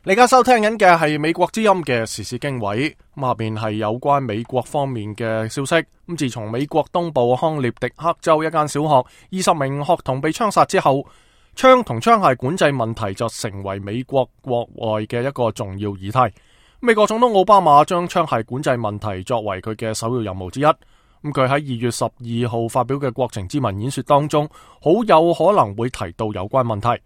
你而家收聽緊嘅係美國之音嘅時事經緯，下邊係有關美國方面嘅消息。自從美國東部康涅狄克州一間小學20名學童被槍殺之後，槍同槍械管制問題就成為美國國外嘅一個重要議題。美國總統奧巴馬將槍械管制問題作為佢嘅首要任務之一。佢喺2月12號發表嘅國情咨文演說當中，好有可能會提到有關問題。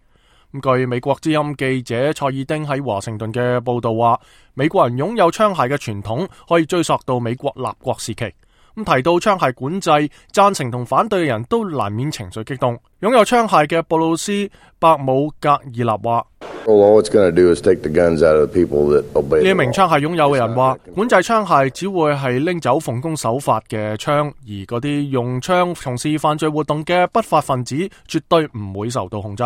據美國之音記者蔡爾丁喺華盛頓嘅報道話，美國人擁有槍械嘅傳統可以追溯到美國立國時期。提到槍械管制，贊成同反對嘅人都難免情緒激動。擁有槍械嘅布魯斯伯姆格爾納話：呢一名槍械擁有嘅人話，管制槍械只會係拎走奉公守法嘅槍，而嗰啲用槍從事犯罪活動嘅不法分子絕對唔會受到控制。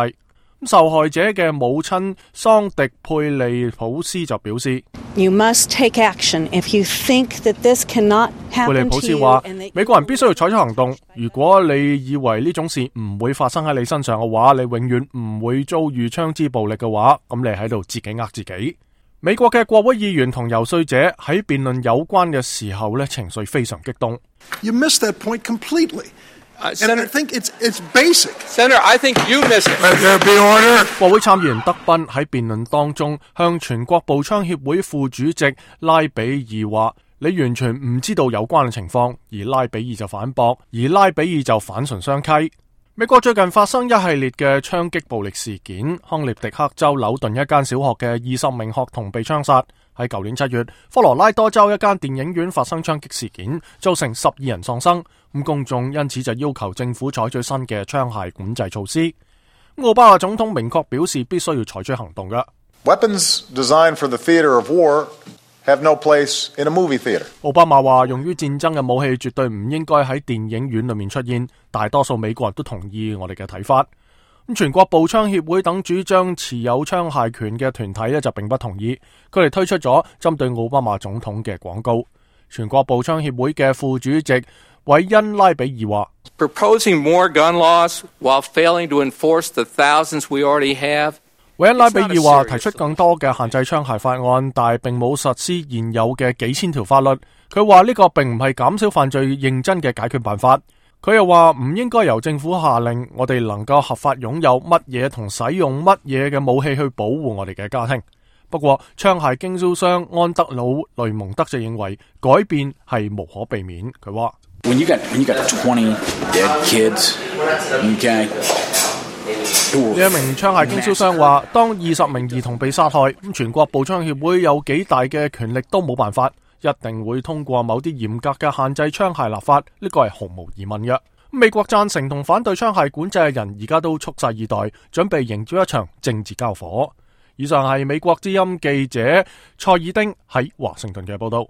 受害者嘅母親桑迪佩利普斯就表示 You must take action if you think that this cannot happen to you. 佩利普斯話，美國人必須要採取行動。如果你以為呢種事唔會發生喺你身上嘅話，你永遠唔會遭遇槍支暴力嘅話，咁你喺度自己呃自己。美國嘅國會議員同遊說者喺辯論有關嘅時候情緒非常激動。 You missed that point completely.And I think it's basic. Senator, I think you missed it. Let there be order. 國會參議員德賓喺辯論當中向全國步槍協會副主席拉比爾話：你完全唔知道有關嘅情況。而拉比爾就反駁，而拉比爾就反唇相譏。美國最近發生一系列嘅槍擊暴力事件，康涅狄克州紐頓一間小學嘅20名學童被槍殺。喺舊年7月，科羅拉多州一間電影院發生槍擊事件，造成12人喪生。公眾因此就要求政府採取新嘅槍械管制措施。奧巴馬總統明確表示必須要採取行動嘅。Weapons designed for the theater of war have no place in a movie theater. 奧巴馬話，用於戰爭嘅武器絕對唔應該喺電影院裏面出現。大多數美國人都同意我哋嘅睇法。全國步槍協會等主張持有槍械權嘅團體就並不同意，佢哋推出咗針對奧巴馬總統嘅廣告。全國步槍協會嘅副主席韋恩拉比爾話 Proposing more gun laws while failing to enforce the thousands we already have. 韋恩拉比爾話，提出更多嘅限制槍械法案，但係並冇實施現有嘅幾千條法律。佢話呢個並唔係減少犯罪認真嘅解決辦法。佢又話唔應該由政府下令我哋能夠合法擁有乜嘢同使用乜嘢嘅武器去保護我哋嘅家庭。不過槍械經銷商安德魯雷蒙德就認為改變係無可避免。佢話 When you got 20 dead kids, okay. 呢一名槍械經銷商話，當20名兒童被殺害，全國步槍協會有幾大嘅權力都冇辦法，一定會通過某啲嚴格嘅限制槍械立法，呢個係毫無疑問嘅。美國贊成同反對槍械管制嘅人而家都蓄勢以待，準備迎接一場政治交火。以上係美國之音記者蔡爾丁喺華盛頓嘅報道。